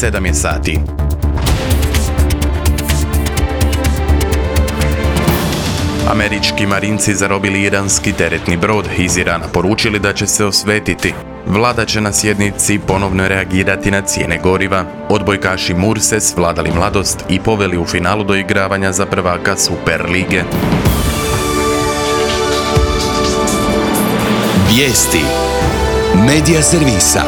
7 je sati. Američki marinci zarobili iranski teretni brod, iz Irana poručili da će se osvetiti. Vlada će na sjednici ponovno reagirati na cijene goriva. Odbojkaši Murse svladali mladost i poveli u finalu doigravanja za prvaka Superlige. Vijesti Medija servisa.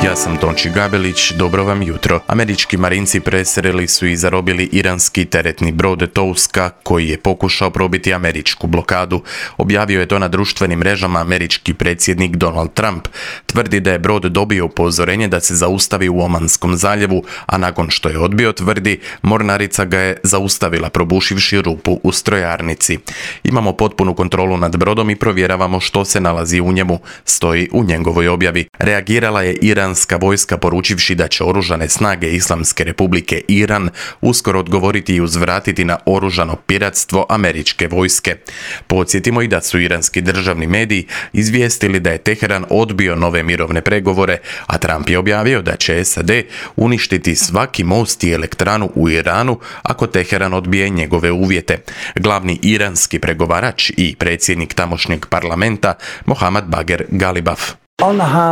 Ja sam Tonči Gabelić, dobro vam jutro. Američki marinci presreli su i zarobili iranski teretni brod Touska koji je pokušao probiti američku blokadu. Objavio je to na društvenim mrežama američki predsjednik Donald Trump. Tvrdi da je brod dobio upozorenje da se zaustavi u Omanskom zaljevu, a nakon što je odbio, tvrdi, mornarica ga je zaustavila probušivši rupu u strojarnici. Imamo potpunu kontrolu nad brodom i provjeravamo što se nalazi u njemu, stoji u njegovoj objavi. Reagirala je iranska vojska poručivši da će oružane snage Islamske republike Iran uskoro odgovoriti i uzvratiti na oružano piratstvo američke vojske. Podsjetimo i da su iranski državni mediji izvijestili da je Teheran odbio nove mirovne pregovore, a Trump je objavio da će SAD uništiti svaki most i elektranu u Iranu ako Teheran odbije njegove uvjete. Glavni iranski pregovarač i predsjednik tamošnjeg parlamenta Mohammad Bagher Ghalibaf.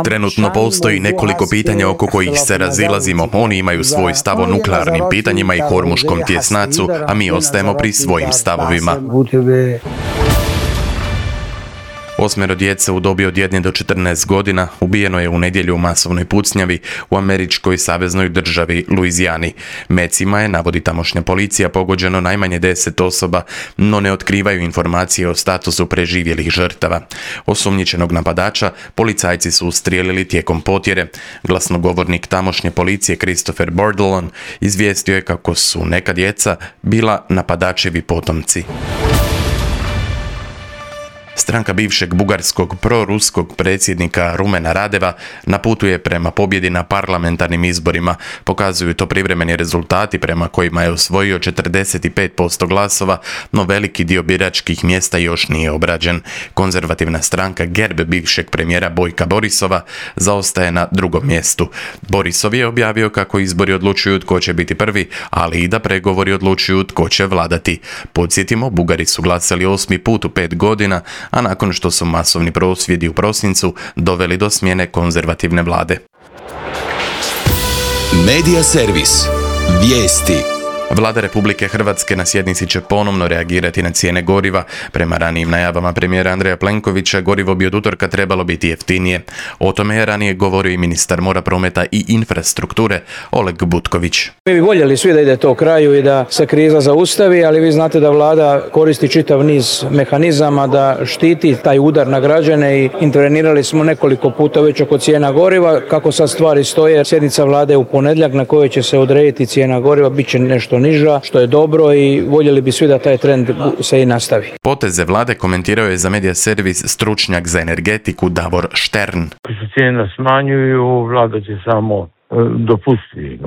Trenutno postoji nekoliko pitanja oko kojih se razilazimo. Oni imaju svoj stav o nuklearnim pitanjima i Hormuškom tjesnacu, a mi ostajemo pri svojim stavovima. 8 djece u dobi od 1 do 14 godina ubijeno je u nedjelju u masovnoj pucnjavi u američkoj saveznoj državi Luizijani. Mecima je, navodi tamošnja policija, pogođeno najmanje 10 osoba, no ne otkrivaju informacije o statusu preživjelih žrtava. Osumnjičenog napadača policajci su ustrijelili tijekom potjere. Glasnogovornik tamošnje policije Christopher Bordelon izvijestio je kako su neka djeca bila napadačevi potomci. Stranka bivšeg bugarskog proruskog predsjednika Rumena Radeva na putu je prema pobjedi na parlamentarnim izborima. Pokazuju to privremeni rezultati prema kojima je osvojio 45% glasova, no veliki dio biračkih mjesta još nije obrađen. Konzervativna stranka GERB bivšeg premijera Bojka Borisova zaostaje na drugom mjestu. Borisov je objavio kako izbori odlučuju tko će biti prvi, ali i da pregovori odlučuju tko će vladati. Podsjetimo, Bugari su glasali 8. put u 5 godina, a nakon što su masovni prosvjedi u prosincu doveli do smjene konzervativne vlade. Medija servis. Vijesti. Vlada Republike Hrvatske na sjednici će ponovno reagirati na cijene goriva. Prema ranijim najavama premijera Andreja Plenkovića, gorivo bi od utorka trebalo biti jeftinije. O tome je ranije govorio i ministar mora, prometa i infrastrukture Oleg Butković. Mi bi voljeli svi da ide to kraju i da se kriza zaustavi, ali vi znate da vlada koristi čitav niz mehanizama da štiti taj udar na građane i intervenirali smo nekoliko puta već oko cijena goriva. Kako sad stvari stoje, sjednica vlade u ponedjeljak na kojoj će se odrediti cijena goriva bit će nešto niža, što je dobro i voljeli bi svi da taj trend se i nastavi. Poteze vlade komentirao je za medija servis stručnjak za energetiku Davor Štern. Ako se cijene smanjuju, vlada će samo dopustiti,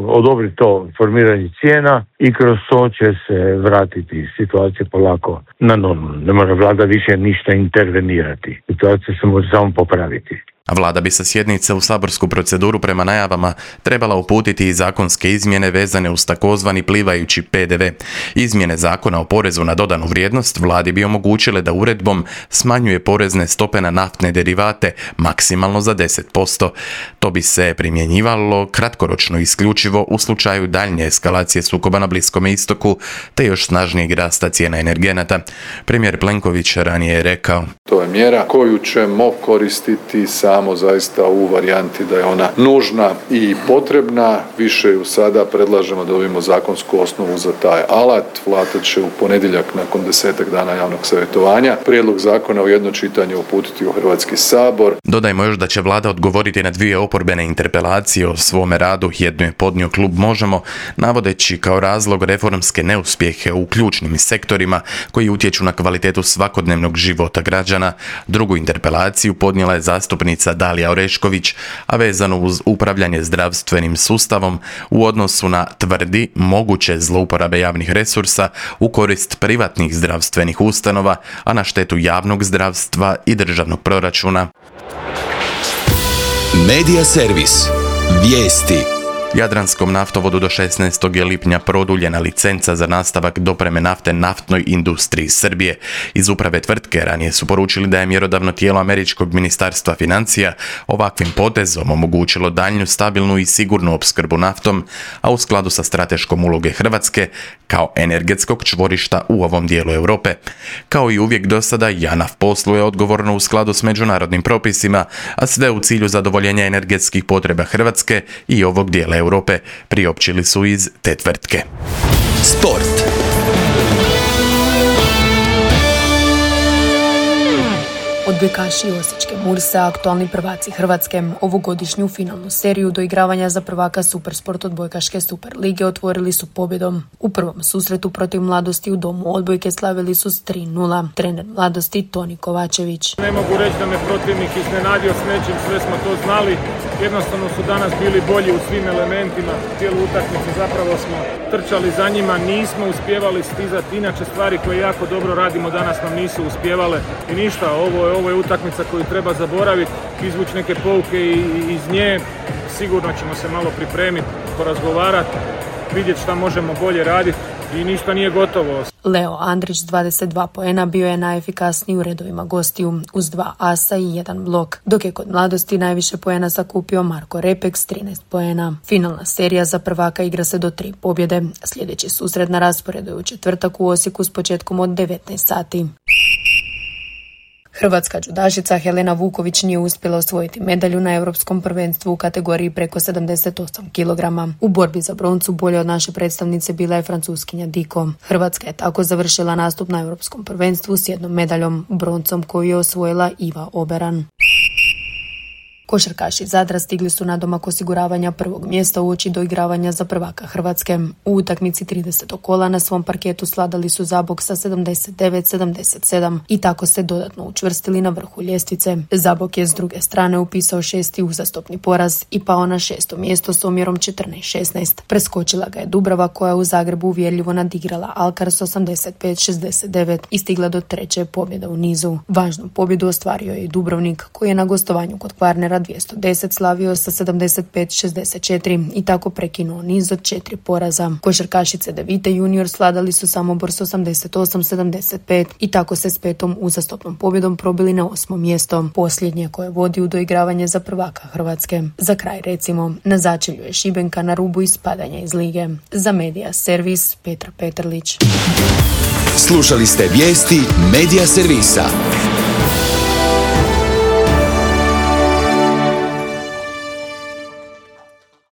odobri to formiranje cijena i kroz to će se vratiti situacija polako na normalno. Ne mora vlada više ništa intervenirati. Situacija se može samo popraviti. Vlada bi sa sjednice u saborsku proceduru prema najavama trebala uputiti i zakonske izmjene vezane uz takozvani plivajući PDV. Izmjene zakona o porezu na dodanu vrijednost vladi bi omogućile da uredbom smanjuje porezne stope na naftne derivate maksimalno za 10%. To bi se primjenjivalo kratkoročno isključivo u slučaju daljnje eskalacije sukoba na Bliskom istoku te još snažnijeg rasta cijena energenata. Premijer Plenković ranije je rekao: To je mjera koju ćemo koristiti samo zaista u varijanti da je ona nužna i potrebna. Više ju sada predlažemo da dobijemo zakonsku osnovu za taj alat. Vlada će u ponedjeljak nakon 10 dana javnog savjetovanja prijedlog zakona u jedno čitanje uputiti u Hrvatski sabor. Dodajmo još da će vlada odgovoriti na 2 oporbene interpelacije o svome radu. Jednu je podnio klub Možemo, navodeći kao razlog reformske neuspjehe u ključnim sektorima koji utječu na kvalitetu svakodnevnog života građana. Drugu interpelaciju podnijela je zastupnica Dalija Orešković, a vezano uz upravljanje zdravstvenim sustavom u odnosu na, tvrdi, moguće zlouporabe javnih resursa u korist privatnih zdravstvenih ustanova, a na štetu javnog zdravstva i državnog proračuna. Medija servis. Vijesti. Jadranskom naftovodu do 16. lipnja produljena licenca za nastavak dopreme nafte naftnoj industriji Srbije. Iz uprave tvrtke ranije su poručili da je mjerodavno tijelo američkog ministarstva financija ovakvim potezom omogućilo daljnju stabilnu i sigurnu opskrbu naftom, a u skladu sa strateškom uloge Hrvatske kao energetskog čvorišta u ovom dijelu Europe. Kao i uvijek do sada, JANAF posluje odgovorno u skladu s međunarodnim propisima, a sve u cilju zadovoljenja energetskih potreba Hrvatske i ovog dijela Europe, priopćili su iz te tvrtke. Sport. Odbojkaši osječke Murse, aktualni prvaci Hrvatske, ovogodišnju finalnu seriju doigravanja za prvaka Supersport odbojkaške Super lige otvorili su pobjedom. U prvom susretu protiv Mladosti u domu odbojke slavili su s 3:0. Trener Mladosti Toni Kovačević. Ne mogu reći da me protivnik iznenadio s nečim, sve smo to znali. Jednostavno su danas bili bolji u svim elementima. Cijelu utakmicu zapravo smo trčali za njima, nismo uspijevali stizati. Inače stvari koje jako dobro radimo danas nam nisu uspijevale. I ništa, ovo je utakmica koju treba zaboraviti, izvući neke pouke iz nje. Sigurno ćemo se malo pripremiti, porazgovarati, vidjeti šta možemo bolje raditi i ništa nije gotovo. Leo Andrić s 22 poena bio je najefikasniji u redovima gostiju, uz 2 asa i 1 blok, dok je kod Mladosti najviše poena sakupio Marko Repek s 13 poena. Finalna serija za prvaka igra se do 3 pobjede. Sljedeći susret na rasporedu je u četvrtak u Osijeku s početkom od 19 sati. Hrvatska džudašica Helena Vuković nije uspjela osvojiti medalju na Europskom prvenstvu u kategoriji preko 78 kg. U borbi za broncu bolje od naše predstavnice bila je Francuskinja Diko. Hrvatska je tako završila nastup na Europskom prvenstvu s 1 medaljom, broncom koju je osvojila Iva Oberan. Košarkaši Zadra stigli su na domak osiguravanja prvog mjesta uoči doigravanja za prvaka Hrvatske. U utakmici 30. kola na svom parketu sladali su Zabok sa 79-77 i tako se dodatno učvrstili na vrhu ljestvice. Zabok je s druge strane upisao 6. uzastopni poraz i pao na 6. mjesto s omjerom 14-16. Preskočila ga je Dubrava koja u Zagrebu uvjerljivo nadigrala Alkar s 85-69 i stigla do 3. pobjede u nizu. Važnu pobjedu ostvario je i Dubrovnik koji je na gostovanju kod Kvarnera 210 slavio sa 75-64 i tako prekinuo niz od 4 poraza. Košarkašice Devite junior sladali su Samobor s 88-75 i tako se s 5. uzastopnom pobjedom probili na 8. mjesto, posljednje koje vodi u doigravanje za prvaka Hrvatske. Za kraj recimo, na začelju je Šibenka na rubu ispadanja iz lige. Za Medija Servis Petra Petrlić. Slušali ste vijesti Medija Servisa.